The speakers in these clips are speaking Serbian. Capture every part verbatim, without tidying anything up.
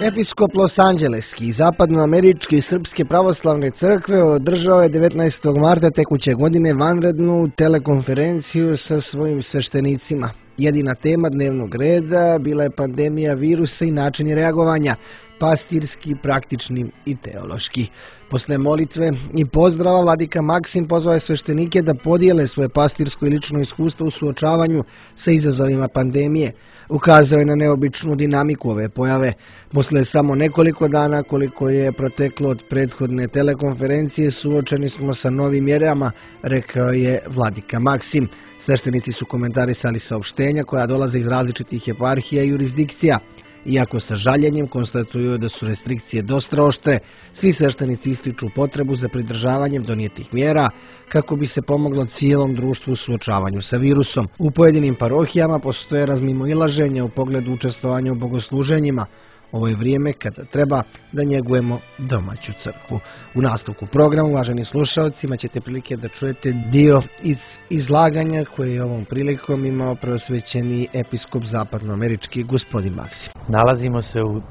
Episkop Los-Angeleski i zapadnoameričke i srpske pravoslavne crkve održao je devetnaestog marta tekuće godine vanrednu telekonferenciju sa svojim sveštenicima. Jedina tema dnevnog reda bila je pandemija virusa i načini reagovanja, pastirski, praktični i teološki. Posle molitve i pozdrava vladika Maksim pozvao je sveštenike da podijele svoje pastirsko i lično iskustvo u suočavanju sa izazovima pandemije. Ukazao je na neobičnu dinamiku ove pojave. Posle samo nekoliko dana koliko je proteklo od prethodne telekonferencije, suočeni smo sa novim mjerama, rekao je vladika Maksim. Sveštenici su komentarisali saopštenja koja dolaze iz različitih eparhija i jurisdikcija. Iako sa žaljenjem konstatuju da su restrikcije dosta oštre, svi sveštenici ističu potrebu za pridržavanjem donijetih mjera kako bi se pomoglo cijelom društvu u suočavanju sa virusom. U pojedinim parohijama postoje razmimoilaženja u pogledu učestvovanja u bogosluženjima. Ovo je vrijeme kada treba da njegujemo domaću crkvu. U nastavku programa, uvaženi slušalci, imat ćete prilike da čujete dio iz izlaganja koje je ovom prilikom imao preosvećeni episkop zapadnoamerički gospodin Maksim. Nalazimo se u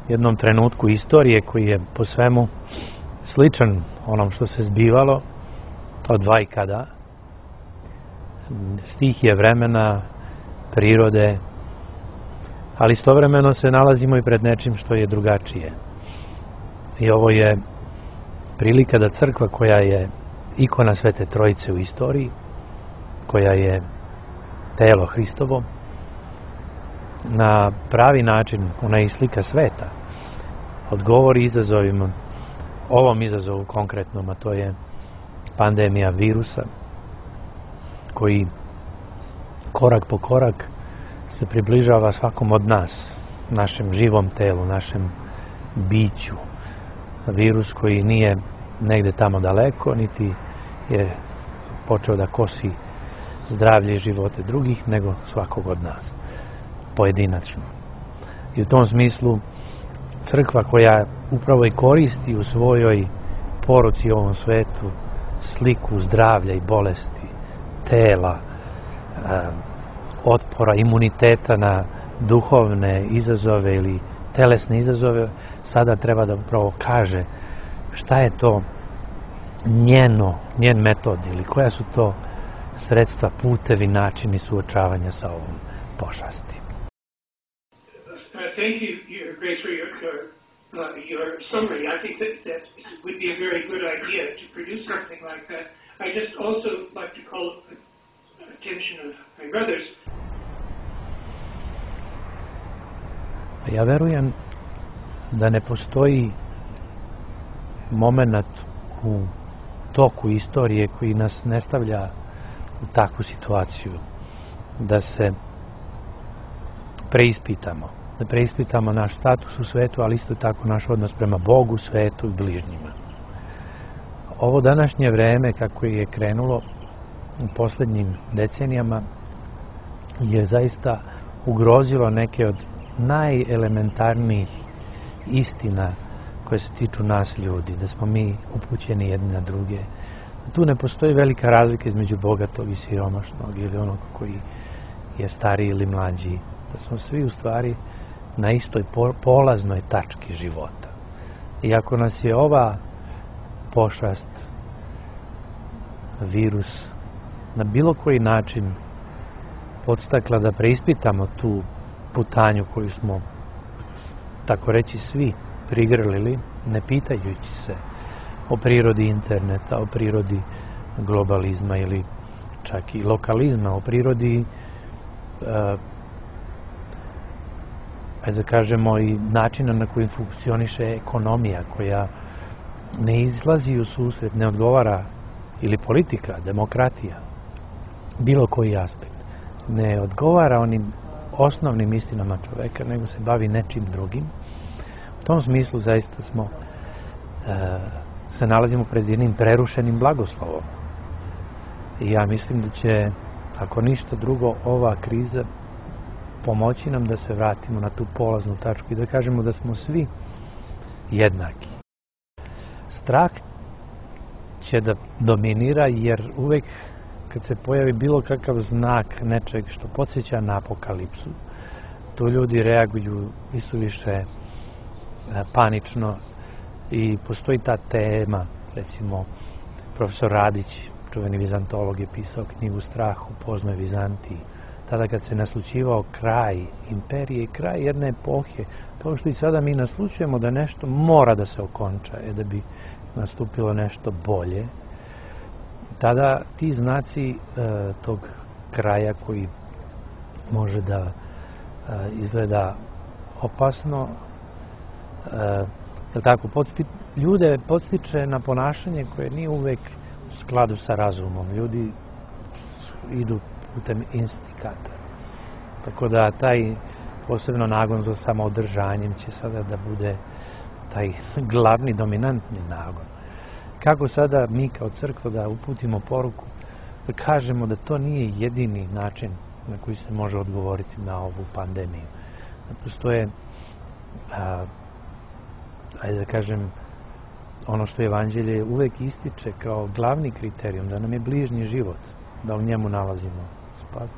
jednom trenutku istorije koji je po svemu sličan onom što se zbivalo od vajkada, stihije vremena, prirode, ali istovremeno se nalazimo i pred nečim što je drugačije. I ovo je prilika da crkva koja je ikona Svete Trojice u istoriji, koja je telo Hristovo, na pravi način, ona je slika sveta, odgovori izazovima, ovom izazovu konkretnom, a to je pandemija virusa, koji korak po korak se približava svakom od nas, našem živom telu, našem biću. Virus koji nije negde tamo daleko, niti je počeo da kosi zdravlje i živote drugih, nego svakog od nas, pojedinačno. I u tom smislu crkva koja upravo i koristi u svojoj poruci ovom svetu sliku zdravlja i bolesti, tela, otpora, imuniteta na duhovne izazove ili telesne izazove, sada treba da upravo kaže šta je to njeno, njen metod ili koja su to sredstva, putevi, načini suočavanja sa ovom pošasti. Thank you, Your Grace, for your, your, uh, your summary. I think that that would be a very good idea to produce something like that. I just also like to call attention of my brothers. Ja verujem da ne postoji moment u toku istorije koji nas ne stavlja u takvu situaciju da se preispitamo, da preispitamo naš status u svetu, ali isto tako naš odnos prema Bogu, svetu i bližnjima. Ovo današnje vreme kako je krenulo u posljednjim decenijama je zaista ugrozilo neke od najelementarnijih istina koje se tiču nas ljudi, da smo mi upućeni jedni na druge. Tu ne postoji velika razlika između bogatog i siromašnog ili onog koji je stariji ili mlađi. Da smo svi u stvari na istoj polaznoj tački života. I ako nas je ova pošast, virus, na bilo koji način podstakla da preispitamo tu putanju koju smo, tako reći, svi prigrlili, ne pitajući se o prirodi interneta, o prirodi globalizma ili čak i lokalizma, o prirodi uh, da kažemo i načina na koji funkcioniše ekonomija koja ne izlazi u susret, ne odgovara, ili politika, demokratija, bilo koji aspekt, ne odgovara onim osnovnim istinama čoveka, nego se bavi nečim drugim. U tom smislu zaista smo e, se nalazimo pred jednim prerušenim blagoslovom. I ja mislim da će, ako ništa drugo, ova kriza pomoći nam da se vratimo na tu polaznu tačku i da kažemo da smo svi jednaki. Strah će da dominira jer uvek kad se pojavi bilo kakav znak nečeg što podsjeća na apokalipsu, tu ljudi reaguju isuviše panično i postoji ta tema, recimo profesor Radić, čuveni vizantolog, je pisao knjigu Strah u poznoj Vizantiji, tada kad se naslućivao kraj imperije i kraj jedne epohe, kao što i sada mi naslućujemo da nešto mora da se okonča, je da bi nastupilo nešto bolje. Tada ti znaci e, tog kraja koji može da e, izgleda opasno, e, tako, podsti, ljude podstiče na ponašanje koje nije uvek u skladu sa razumom. Ljudi idu putem instikata. Tako da taj posebno nagon za samoodržanjem će sada da bude taj glavni, dominantni nagon. Kako sada mi kao crkva da uputimo poruku, da kažemo da to nije jedini način na koji se može odgovoriti na ovu pandemiju. Da postoje, a, ajde da kažem, ono što Evanđelje uvek ističe kao glavni kriterijum, da nam je bližnji život, da u njemu nalazimo spas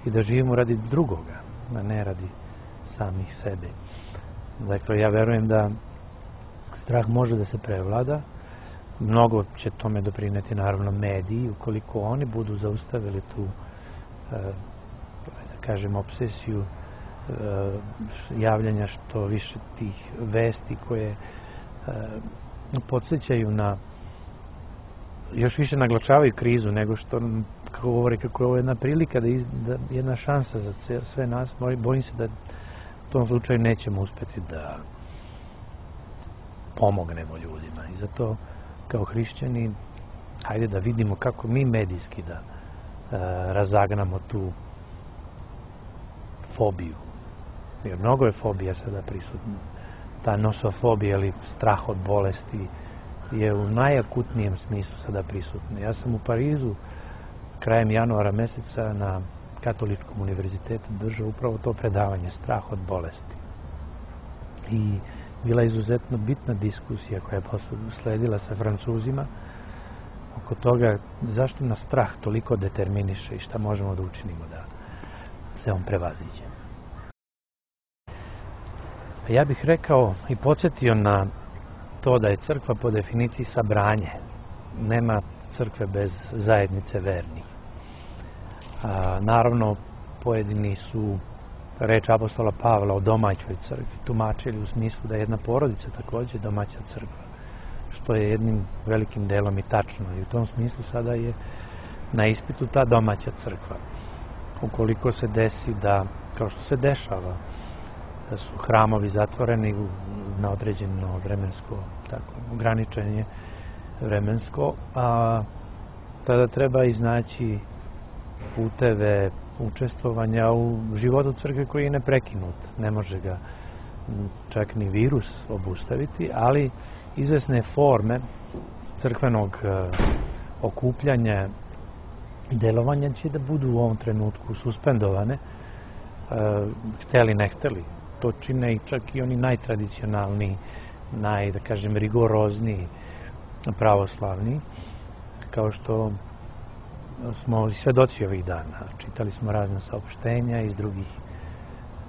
i da živimo radi drugoga, a ne radi samih sebe. Dakle, ja verujem da strah može da se prevlada. Mnogo će tome doprineti naravno mediji, ukoliko oni budu zaustavili tu, e, da kažem, obsesiju e, javljanja što više tih vesti koje e, podsjećaju na, još više naglačavaju krizu nego što, kako govori, kako je ovo jedna prilika, da, iz, da jedna šansa za sve nas. Bojim se da u tom slučaju nećemo uspeti da pomognemo ljudima i zato kao hrišćani hajde da vidimo kako mi medijski da e, razagnamo tu fobiju. Jer mnogo je fobija sada prisutna. Ta nosofobija ili strah od bolesti je u najakutnijem smislu sada prisutna. Ja sam u Parizu krajem januara meseca na Katoličkom univerzitetu držao upravo to predavanje, strah od bolesti. I bila je izuzetno bitna diskusija koja je sledila sa Francuzima oko toga zašto nas strah toliko determiniše i šta možemo da učinimo da se on prevaziđe. Ja bih rekao i podsjetio na to da je crkva po definiciji sabranje. Nema crkve bez zajednice vernih. A, naravno, pojedini su reč apostola Pavla o domaćoj crkvi tumačili u smislu da je jedna porodica također domaća crkva, što je jednim velikim delom i tačno. I u tom smislu sada je na ispitu ta domaća crkva. Ukoliko se desi da, kao što se dešava, da su hramovi zatvoreni na određeno vremensko, tako, ograničenje vremensko, a tada treba iznaći puteve učestvovanja u životu crkve koji je neprekinut. Ne može ga čak ni virus obustaviti, ali izvesne forme crkvenog okupljanja i delovanja će da budu u ovom trenutku suspendovane, hteli ne hteli. To čine i čak i oni najtradicionalniji, naj, da kažem, rigorozniji pravoslavni, kao što smo svedoci ovih dana. Čitali smo razne saopštenja iz drugih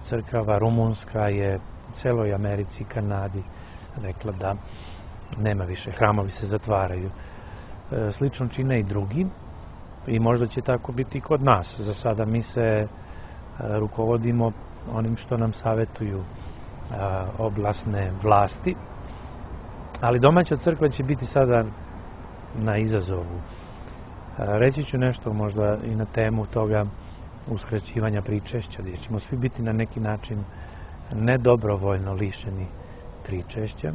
crkava. Rumunska je u celoj Americi i Kanadi rekla da nema više, hramovi se zatvaraju. Slično čine i drugi i možda će tako biti i kod nas. Za sada mi se rukovodimo onim što nam savetuju oblasne vlasti, ali domaća crkva će biti sada na izazovu. Reći ću nešto možda i na temu toga uskraćivanja pričešća, gdje ćemo svi biti na neki način nedobrovoljno lišeni pričešća,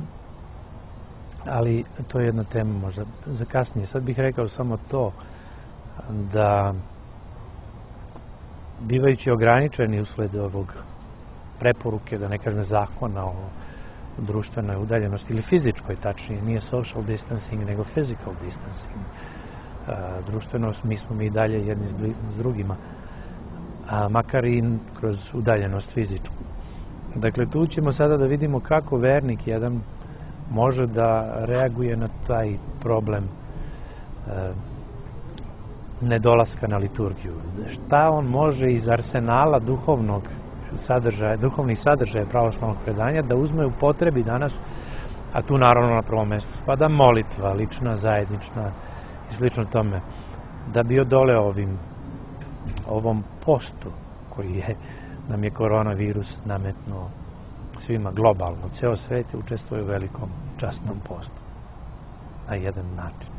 ali to je jedna tema možda za kasnije. Sad bih rekao samo to da bivajući ograničeni usled ovog preporuke, da ne kažem zakona o društvenoj udaljenosti ili fizičkoj, tačnije, nije social distancing nego physical distancing. A, društveno mi smo mi dalje jedni s drugima, a makar i kroz udaljenost fizičku. Dakle, tu ćemo sada da vidimo kako vernik jedan može da reaguje na taj problem e, nedolaska na liturgiju. Šta on može iz arsenala duhovnog sadržaja, duhovnih sadržaja pravoslavnog predanja, da uzme u potrebi danas, a tu naravno na prvom mjestu spada molitva, lična, zajednična i slično tome, da bi odoleo ovim, ovom postu koji je, nam je koronavirus nametnuo svima globalno. Ceo svet učestvuje u velikom časnom postu na jedan način.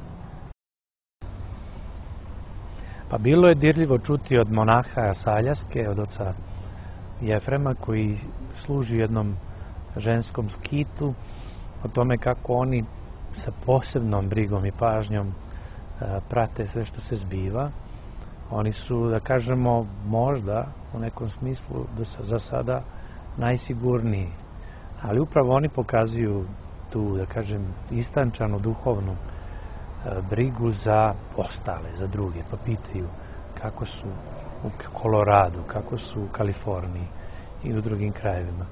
Pa bilo je dirljivo čuti od monaha Saljaske, od oca Jefrema, koji služi jednom ženskom skitu, o tome kako oni sa posebnom brigom i pažnjom e, prate sve što se zbiva. Oni su, da kažemo, možda u nekom smislu do, za sada najsigurniji, ali upravo oni pokazuju tu, da kažem, istančanu duhovnu e, brigu za ostale, za druge, pa pitaju kako su u Koloradu, kako su u Kaliforniji i u drugim krajevima.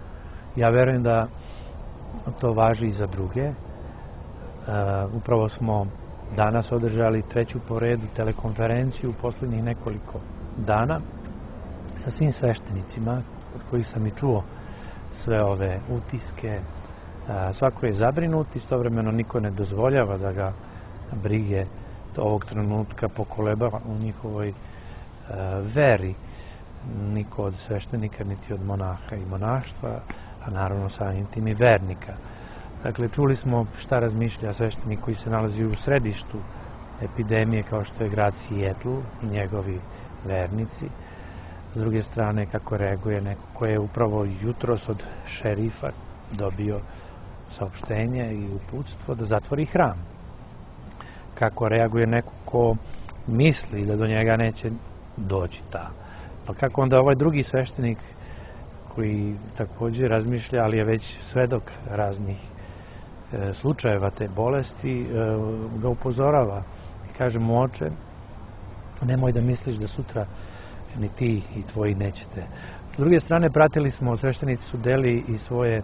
Ja verujem da to važi i za druge. E, upravo smo danas održali treću po redu telekonferenciju u posljednjih nekoliko dana sa svim sveštenicima, od kojih sam i čuo sve ove utiske. A, svako je zabrinut, istovremeno niko ne dozvoljava da ga brige ovog trenutka pokoleba u njihovoj a, veri. Niko od sveštenika, niti od monaha i monaštva, a naravno samim tim i vernika. Dakle, čuli smo šta razmišlja sveštenik koji se nalazi u središtu epidemije, kao što je grad Sijetl i njegovi vernici. S druge strane, kako reaguje neko ko je upravo jutros od šerifa dobio saopštenje i uputstvo da zatvori hram. Kako reaguje neko ko misli da do njega neće doći ta. Pa kako onda ovaj drugi sveštenik koji također razmišlja, ali je već svedok raznih e, slučajeva te bolesti, e, ga upozorava i kaže mu: oče, nemoj da misliš da sutra ni ti i tvoji nećete. S druge strane, pratili smo, sveštenici su deli i svoje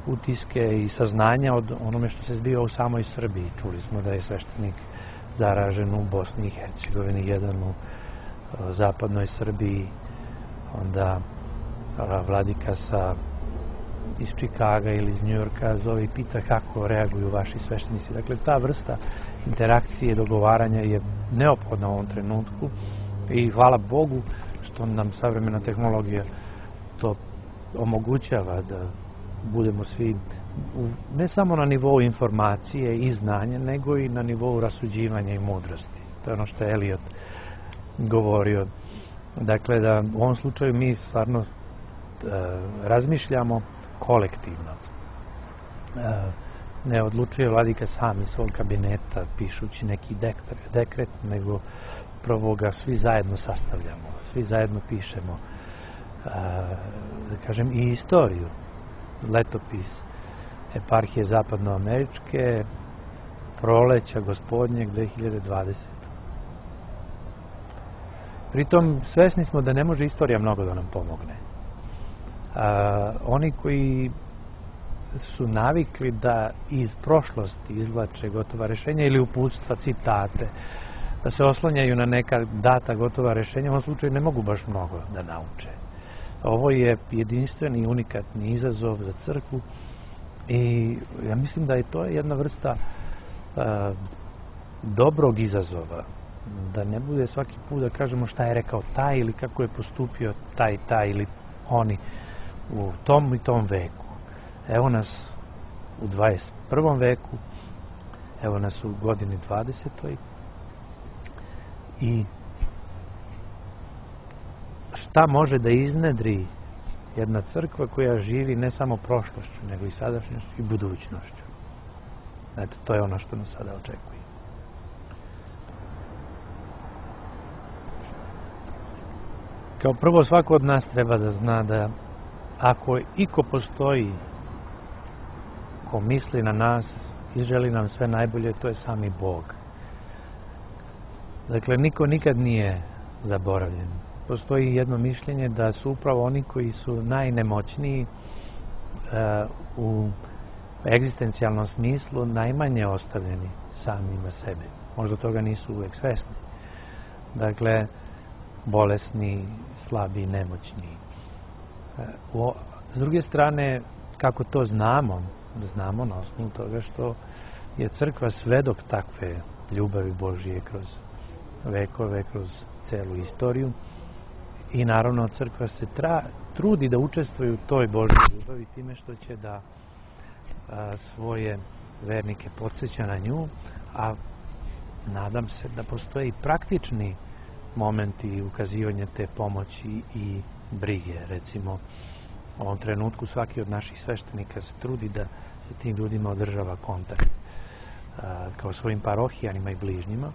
utiske i saznanja od onome što se zbiva u samoj Srbiji. Čuli smo da je sveštenik zaražen u Bosni i Hercegovini, jedan u e, zapadnoj Srbiji, onda vladika sa iz Čikaga ili iz Njujorka zove i pita kako reaguju vaši sveštenici. Dakle, ta vrsta interakcije, dogovaranja je neophodna u ovom trenutku i hvala Bogu što nam savremena tehnologija to omogućava, da budemo svi u, ne samo na nivou informacije i znanja, nego i na nivou rasuđivanja i mudrosti. To je ono što je Eliot govorio. Dakle, da u ovom slučaju mi stvarno e, razmišljamo kolektivno. E, ne odlučuje vladika sam iz svog kabineta pišući neki dekret, dekret, nego prvo ga svi zajedno sastavljamo, svi zajedno pišemo, e, da kažem, i istoriju, letopis eparhije zapadnoameričke, proleća gospodnjeg dve hiljade dvadesete. Pritom, svesni smo da ne može istorija mnogo da nam pomogne. A, oni koji su navikli da iz prošlosti izvlače gotova rešenja ili uputstva, citate, da se oslanjaju na neka data gotova rešenja, u ovom slučaju ne mogu baš mnogo da nauče. Ovo je jedinstveni i unikatni izazov za crkvu i ja mislim da je to jedna vrsta a, dobrog izazova, da ne bude svaki put da kažemo šta je rekao taj ili kako je postupio taj, taj ili oni u tom i tom veku. Evo nas u dvadeset prvom veku, evo nas u godini dvadesetoj i šta može da iznedri jedna crkva koja živi ne samo prošlošću, nego i sadašnjošću i budućnošću. Eto, to je ono što nas sada očekuje. Kao prvo, svako od nas treba da zna da ako iko postoji ko misli na nas i želi nam sve najbolje, to je sami Bog. Dakle, niko nikad nije zaboravljen. Postoji jedno mišljenje da su upravo oni koji su najnemoćniji uh, u egzistencijalnom smislu najmanje ostavljeni samima sebi. Možda toga nisu uvek svesni. Dakle, bolesni, slabi, nemoćni, S druge strane, kako to znamo, znamo na osnovu toga što je crkva svedok takve ljubavi Božije kroz vekove, kroz celu istoriju i naravno crkva se tra, trudi da učestvuje u toj Božjoj ljubavi time što će da a, svoje vernike podsjeća na nju, a nadam se da postoje i praktični momenti ukazivanja te pomoći i brige. Recimo, u ovom trenutku svaki od naših sveštenika se trudi da se tim ljudima održava kontakt a, kao svojim parohijanima i bližnjima.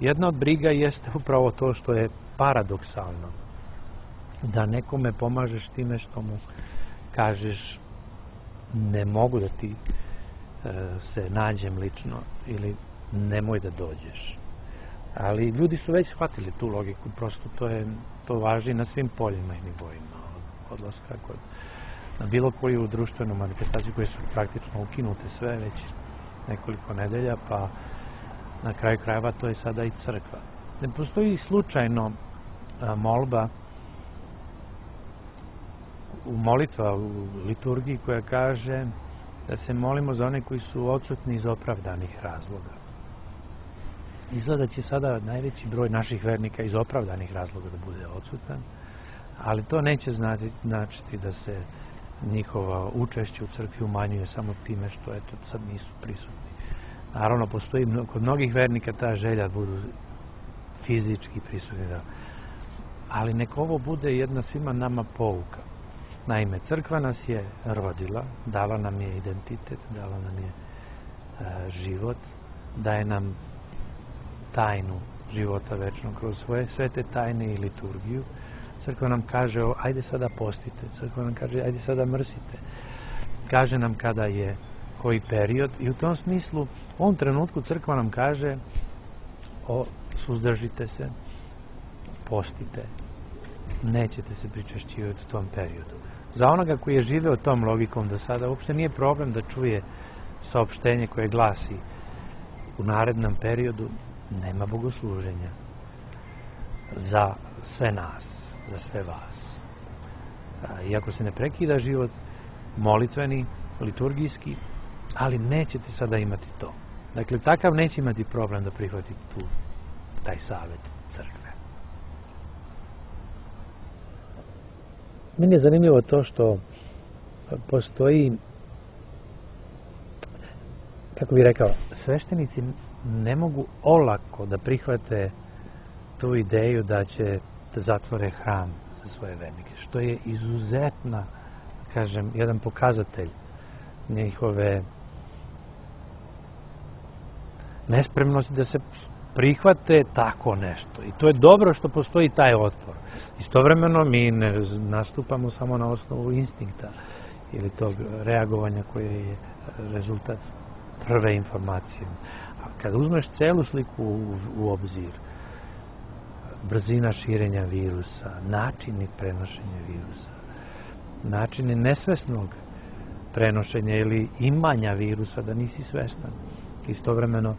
Jedna od briga jeste upravo to što je paradoksalno. Da nekome pomažeš time što mu kažeš ne mogu da ti e, se nađem lično ili nemoj da dođeš. Ali ljudi su već shvatili tu logiku, prosto to je to važi na svim poljima i nivoima od odlaska kod na bilo koju društvenu manifestaciju koje su praktično ukinute sve već nekoliko nedelja, pa na kraju krajeva to je sada i crkva. Ne postoji slučajno a, molba u molitva u liturgiji koja kaže da se molimo za one koji su odsutni iz opravdanih razloga. Izgleda će sada najveći broj naših vernika iz opravdanih razloga da bude odsutan, ali to neće značiti da se njihova učešće u crkvi umanjuje samo time što eto sad nisu prisutni. Naravno, postoji kod mnogih vernika ta želja da budu fizički prisutni, da. Ali nek ovo bude jedna svima nama pouka. Naime, crkva nas je rodila, dala nam je identitet, dala nam je e, život, daje nam tajnu života večnog kroz svoje svete tajne i liturgiju. Crkva nam kaže, o, ajde sada postite, crkva nam kaže, ajde sada mrsite. Kaže nam kada je koji period i u tom smislu, u ovom trenutku crkva nam kaže, o, suzdržite se, postite, nećete se pričešćivati u tom periodu. Za onoga koji je živeo tom logikom do sada, uopšte nije problem da čuje saopštenje koje glasi u narednom periodu nema bogosluženja za sve nas, za sve vas. Iako se ne prekida život molitveni, liturgijski, ali nećete sada imati to. Dakle, takav neće imati problem da prihvati tu, taj savjet crkve. Meni je zanimljivo to što postoji, kako bih rekao, sveštenici ne mogu olako da prihvate tu ideju da će da zatvore hram za svoje vernike, što je izuzetna, kažem, jedan pokazatelj njihove nespremnosti da se prihvate tako nešto. I to je dobro što postoji taj otpor. Istovremeno mi ne nastupamo samo na osnovu instinkta ili tog reagovanja koje je rezultat prve informacije. A kad uzmeš celu sliku u, u obzir, brzina širenja virusa, načini prenošenja virusa, načini nesvesnog prenošenja ili imanja virusa da nisi svestan, istovremeno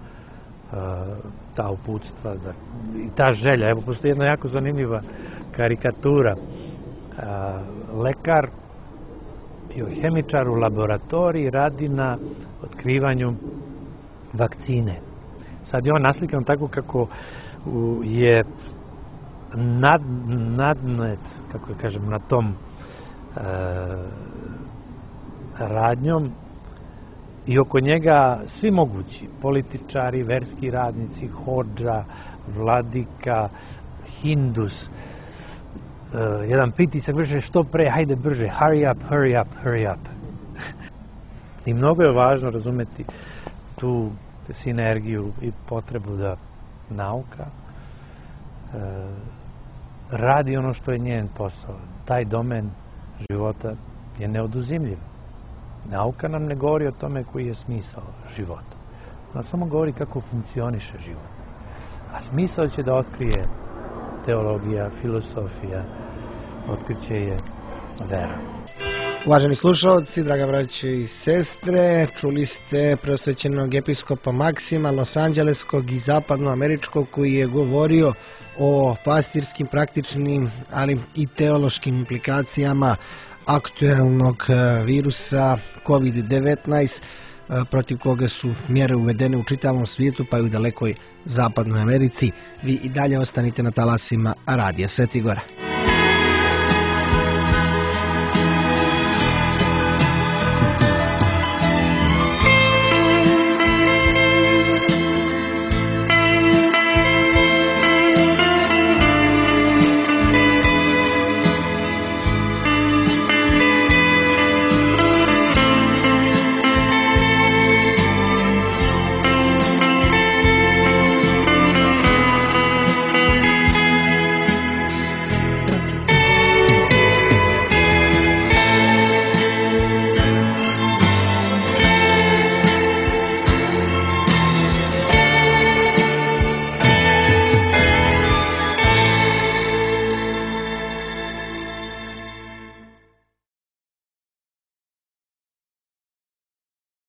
ta uputstva da, i ta želja. Evo, postoji jedna jako zanimljiva karikatura. Lekar, biohemičar u laboratoriji radi na otkrivanju vakcine. Sad je on naslikan tako kako je nad, nadnet, kako kažem, na tom e, radnjom i oko njega svi mogući političari, verski radnici, hodža, vladika, hindus, uh, jedan pritisak brže, što pre, hajde brže, hurry up, hurry up, hurry up. I mnogo je važno razumeti tu sinergiju i potrebu da nauka uh, radi ono što je njen posao. Taj domen života je neoduzimljiv. Nauka nam ne govori o tome koji je smisao života. Ona samo govori kako funkcioniše život. A smisao će da otkrije teologija, filosofija, otkriće je vera. Uvaženi slušalci, draga braćo i sestre, čuli ste preosvećenog episkopa Maksima Los Angeleskog i zapadnoameričkog koji je govorio o pastirskim, praktičnim, ali i teološkim implikacijama aktuelnog virusa kovid devetnaest, protiv koga su mjere uvedene u čitavom svijetu pa i u dalekoj zapadnoj Americi. Vi i dalje ostanite na talasima Radija Sveti Gora.